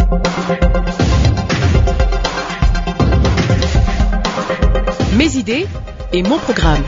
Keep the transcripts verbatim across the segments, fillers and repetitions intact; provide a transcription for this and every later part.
Mes idées et mon programme.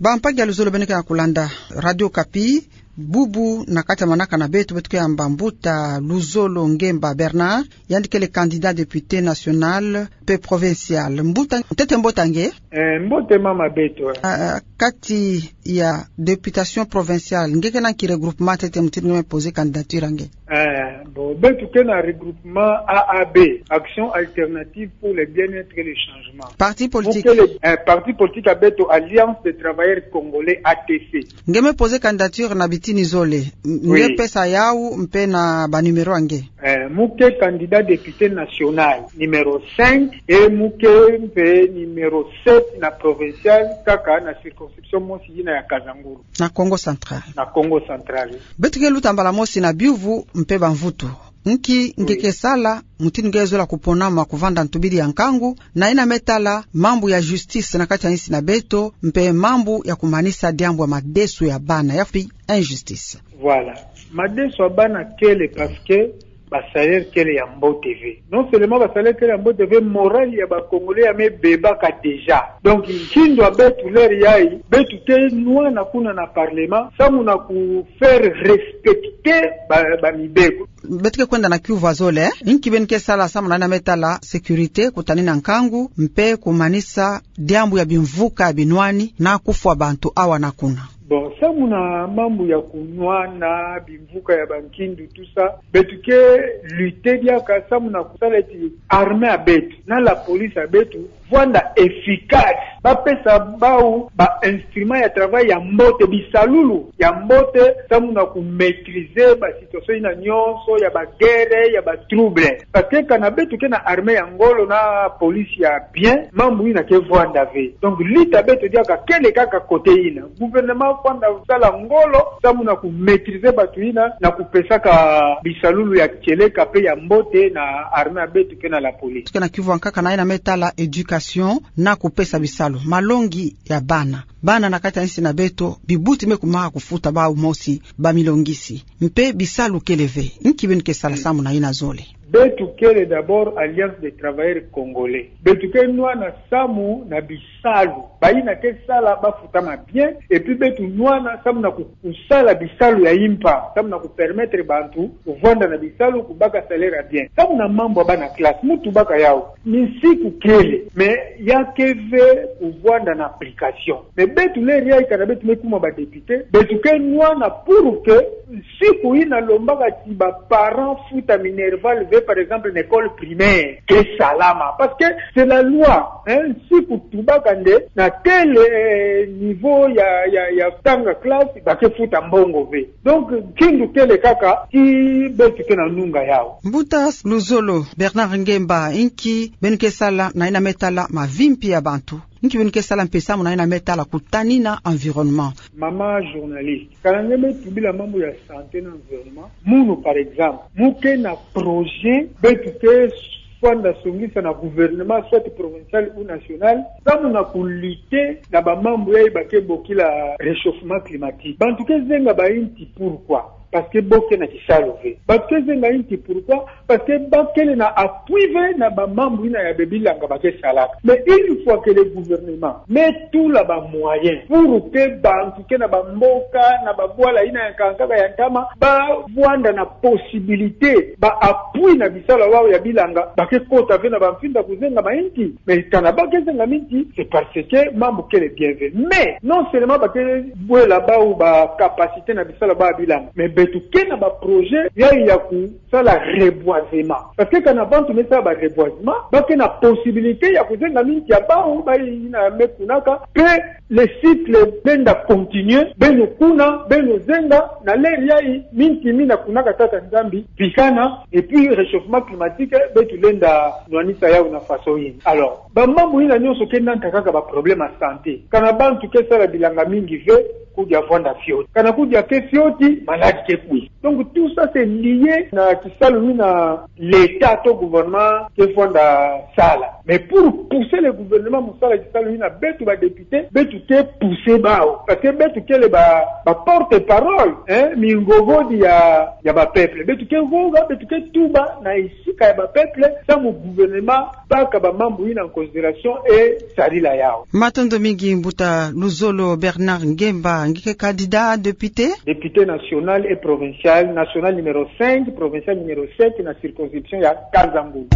Bampagi ya luzolo beno ke na kulanda Radio Okapi, bubu na kati ya manaka na beto, beto ke yamba mbuta Luzolo Ngemba Bernard, yandi kele candidat député national pe provincial. Mbuta, ntete mbote ya nge? Eh, mbote mama beto, eh. Ah, ah, kati ya députation provinciale, nge ke na nki regroupement ntete mutindu nge me poser candidature ya nge? Eh, bon, beto ke na regroupement A A B, Action Alternative pour le Bien-être et le Changement. Parti politique. Mu kele, eh, parti politique ya beto, Alliance des Travailleurs Congolais, A T C. Nge me poser candidature na bitini zole. M-, oui. Nge pesa yawu mpe na ba numéro ya nge. Eh, mu ke candidat député national numéro cinq, et mu ke mpe numéro sept na provincial, kaka na circonscription mosi, yina ya Kasangulu. Na Kongo Central. Na Kongo Central. Beto ke luta mbala mosi na biyuvu mpe bamvutu. Nki nge ke sala, mutindu nge zola kupona ma kuvanda ntubidi ya nkangu, na yina me tala mambu ya justice na kati ya insi na beto, mpe mambu ya kumanisa diambu ya madesu ya bana, ya pi injustice. Voilà. Madesu ya bana kele parce que ba salaire kele ya mbote ve. Non seulement ba salaire kele ya mbote ve, morale ya ba Congolais ya me bebaka déjà. Donc, nkindu ya beto l'heure yayi, beto ke nwana kuna na parlement, samu na ku faire respecter ba, ba mibeko. Beto ke kwenda na kiuvu ya zole, eh? Nki beno ke sala samu na yina me tala sécurité, kutanina nkangu, mpe kumanisa diambu ya bimvuka ya binwani na kufwa bantu awa na kuna. Bon, samu na mambu ya kunwana, bimvuka ya bankindu, tout ça, beto ke lutter diaka samu na kusala ti armée ya beto na la police ya beto vwanda efficace. Ba pesa bawu ba instrument ya travail ya mbote, bisalulu ya mbote, samu na ku maîtriser ba situation yina nyonso ya ba guerre, ya ba trouble. Parce que kana beto ke na armée ya ngolo na police ya bien, mambu yina ke vwanda ve. Donc, lutte ya beto diaka kele kaka côté yina. Gouvernement vwanda sala ngolo samu na ku maîtriser bantu yina, na kupesaka bisalulu ya kieleka mpe ya mbote na armée ya beto mpe na la police. Ke na kiuvu ya nkaka na yina me tala éducation na kupesa bisalu, malongi ya bana. Bana na kati ya insi na beto, bibuti me kumaka kufuta bawu mosi, ba milongisi. Mpe bisalu kele ve. Nki beno ke sala samu na yina zole? Beto kele d'abord Alliance des Travailleurs Congolais. Beto ke nwana samu na bisalu. Bayina ke sala bafutama bien, et puis beto nwana samu na ku-, kusala bisalu ya impa, samu na ku permettre bantu kuvwanda na bisalu, kubaka salaire ya bien. Samu na mambu ya bana classe, mu tubaka yawu. Minsiku kele, mais ya ke ve kuvwanda na application. Mais beto l'heure yayi kana beto me kuma ba député, beto ke nwana pour que nsiku yina lombaka ti ba parents futa minerval ve, par exemple, na école primaire, ke salama. Parce que c'est la loi, hein, nsiku tubaka nde na tel, euh, niveau ya, ya, ya tanga classe, ba ke futa mbongo ve. Donc, nkindu kele kaka, ti beto ke na nunga yawu. Mbuta Luzolo Bernard Ngemba, nki beno ke sala na yina me tala mavimpi ya bantu? Nki beno ke sala mpe samu na yina me tala kutanina environnement? Mama journaliste, kana nge me tubila mambu ya santé na environnement, munu, par exemple, mu ke na projet beto ke fwanda songisa na gouvernement, soit provincial ou national, samu na ku lutter na ba mambu yayi ba ke bokila réchauffement climatique. Bantu ke zenga ba inti, pourquoi? Parce que bo ke na kisalu ve. Bantu ke zenga inti, pourquoi? Parce que ba kele na appui ve na ba mambu yina ya ba bilanga ba ke salaka. Mais une fois que le gouvernement me tula ba moyens pour que bantu ke na ba mboka, na ba bwala yina ya nkaka ya ntama, ba vwanda na possibilité, ba appui na bisalu ya bawu ya bilanga, ba ke kota ve na ba mfinda kuzenga ba inti. Mais kana ba ke zenga minti, c'est parce que mambu kele bien ve. Mais non seulement ba ke bwela bawu ba capacité na bisalu ya bawu ya bilanga, mais beto ke na ba projet ya, ya kusala reboisement. Parce que kana bantu me sala ba reboisement, ba ke na possibilité ya kuzenga minti ya bawu, bayi yina me kunaka, mpe le cycle lenda continuer, beno kuna, beno zenga, na l'heure yayi, minti mina kunaka Tata Nzambi, bikana, et puis réchauffement climatique, beto lenda nwanisa yawu na façon yina. Alors, ba mambu yina nyonso ke nata kaka ba problème ya santé. Kana bantu ke sala bilanga mingi ve, kudia vwanda fioti. Kana kudia ke fioti, maladi ke kwi. Donc tout ça c'est lié na kisalu mina l'État to gouvernement ke vwanda sala. Mais pour pousser le gouvernement mu sala kisalu mina, beto ba députés, beto ke pousser bawu. Parce que beto kele ba, ba porte-parole, hein, mingogodi ya, ya ba peuple. Beto ke goga, beto ke tuba na esika ya ba peuple, samu gouvernement baka ba mambu yina en considération et sarila yawu. Matondo mingi mbuta Luzolo Bernard Ngemba, nge ke candidat député, député national et provincial, national numéro cinq, provincial numéro sept, na circonscription ya Kasangulu.